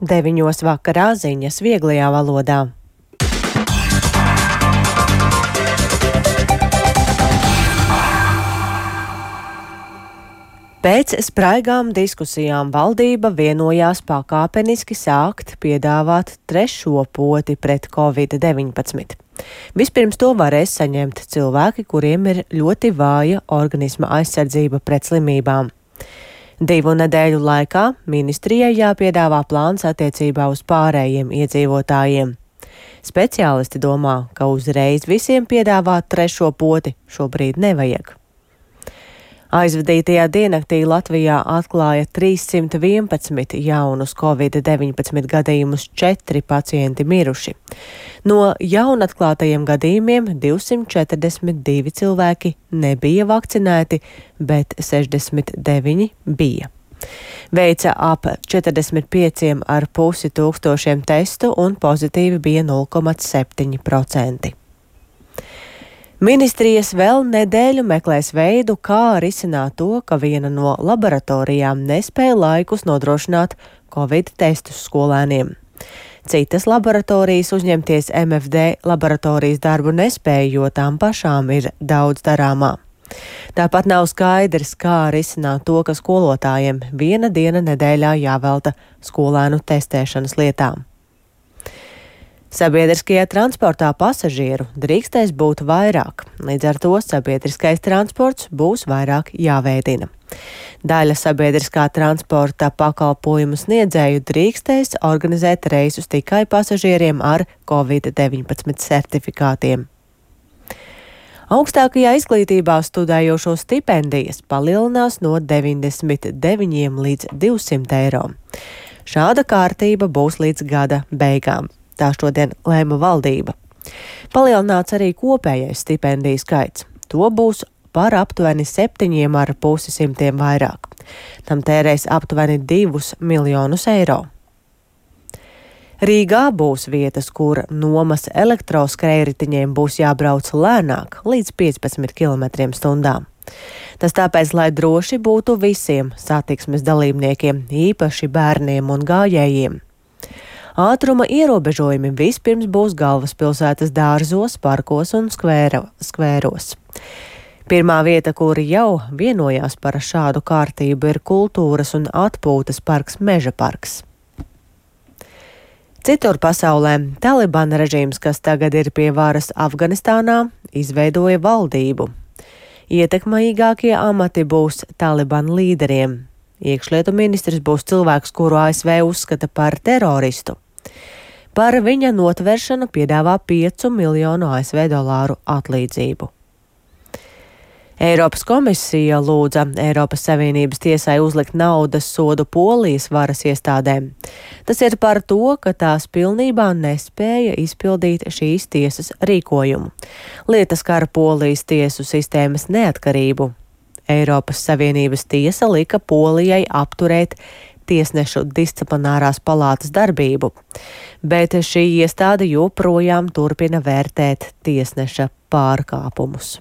9 vakarā ziņas vieglajā valodā. Pēc spraigām diskusijām valdība vienojās pakāpeniski sākt piedāvāt trešo poti pret Covid-19. Vispirms to varēs saņemt cilvēki, kuriem ir ļoti vāja organisma aizsardzība pret slimībām. 2 nedēļu laikā ministrijai jāpiedāvā plāns attiecībā uz pārējiem iedzīvotājiem. Speciālisti domā, ka uzreiz visiem piedāvāt trešo poti šobrīd nevajag. Aizvadītajā diennaktī Latvijā atklāja 311 jaunus Covid-19 gadījumus, 4 pacienti miruši. No jaunatklātajiem gadījumiem 242 cilvēki nebija vakcinēti, bet 69 bija. Veica ap 45,5 tūkstošiem testu un pozitīvi bija 0,7%. Ministrijas vēl nedēļu meklēs veidu, kā risināt to, ka viena no laboratorijām nespēja laikus nodrošināt Covid testus skolēniem. Citas laboratorijas uzņemties MFD laboratorijas darbu nespēja, jo tām pašām ir daudz darāmā. Tāpat nav skaidrs, kā risināt to, ka skolotājiem viena diena nedēļā jāvelta skolēnu testēšanas lietām. Sabiedriskajā transportā pasažieru drīkstēs būt vairāk, līdz ar to sabiedriskais transports būs vairāk jāveidina. Daļa sabiedriskā transporta pakalpojumu sniedzēju drīkstēs organizēt reisus tikai pasažieriem ar Covid-19 certifikātiem. Augstākajā izglītībā studējošo stipendijas palielinās no 99 līdz 200 eiro. Šāda kārtība būs līdz gada beigām. Tā šodien lēma valdība. Palielināts arī kopējais stipendiju skaits. To būs par aptuveni 7,5 vairāk. Tam tērēs aptuveni 2 miljonus eiro. Rīgā būs vietas, kur nomas elektroskrējritiņiem būs jābrauc lēnāk, līdz 15 km/h. Tas tāpēc, lai droši būtu visiem satiksmes dalībniekiem, īpaši bērniem un gājējiem. Ātruma ierobežojumi vispirms būs galvaspilsētas dārzos, parkos un skvēros. Pirmā vieta, kur jau vienojās par šādu kārtību, ir kultūras un atpūtas parks Meža parks. Citur pasaulē Talibana režīms, kas tagad ir pie varas Afganistānā, izveidoja valdību. Ietekmīgākie amati būs Talibana līderiem. Iekšlietu ministrs būs cilvēks, kuru ASV uzskata par teroristu. Par viņa notveršanu piedāvā 5 miljonu ASV dolāru atlīdzību. Eiropas komisija lūdza Eiropas Savienības tiesai uzlikt naudas sodu Polijas varas iestādēm. Tas ir par to, ka tās pilnībā nespēja izpildīt šīs tiesas rīkojumu. Lieta skar Polijas tiesu sistēmas neatkarību. Eiropas Savienības tiesa lika Polijai apturēt tiesnešu disciplinārās palātas darbību, bet šī iestāde joprojām turpina vērtēt tiesneša pārkāpumus.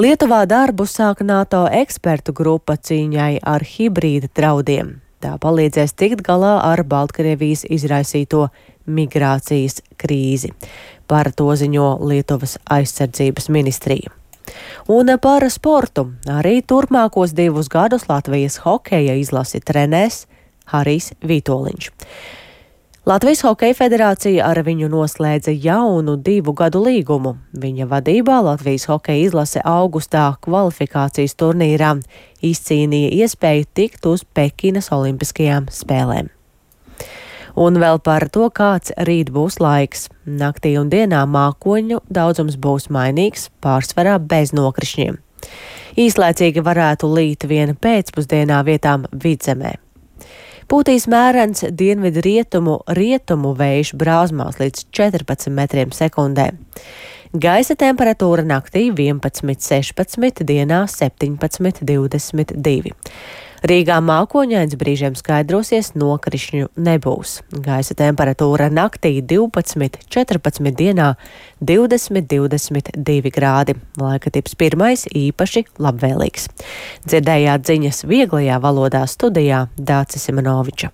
Lietuvā darbu sāk NATO ekspertu grupa cīņai ar hibrīda draudiem. Tā palīdzēs tikt galā ar Baltkrievijas izraisīto migrācijas krīzi. Par to ziņo Lietuvas aizsardzības ministrija. Un par sportu arī turpmākos 2 gadus Latvijas hokeja izlasi trenēs Harijs Vitoļņš. Latvijas Hokeja federācija ar viņu noslēdza jaunu 2 gadu līgumu. Viņa vadībā Latvijas hokeja izlase augustā kvalifikācijas turnīrā izcīnīja iespēju tikt uz Pekinas olimpiskajām spēlēm. Un vēl par to, kāds rīt būs laiks. Naktī un dienā mākoņu daudzums būs mainīgs, pārsvarā bez nokrišņiem. Īslaicīgi varētu līt viena pēcpusdienā vietām vidzemē. Pūtīs mērens dienvidu rietumu vējš brāzmās līdz 14 metriem sekundē. Gaisa temperatūra naktī 11,16, dienā 17,22. Rīgā mākoņains, brīžiem skaidrosies, nokrišņu nebūs. Gaisa temperatūra naktī 12,14, dienā 20,22 grādi. Laika tips 1 īpaši labvēlīgs. Dzirdējāt ziņas vieglajā valodā, studijā Dācis Simenoviča.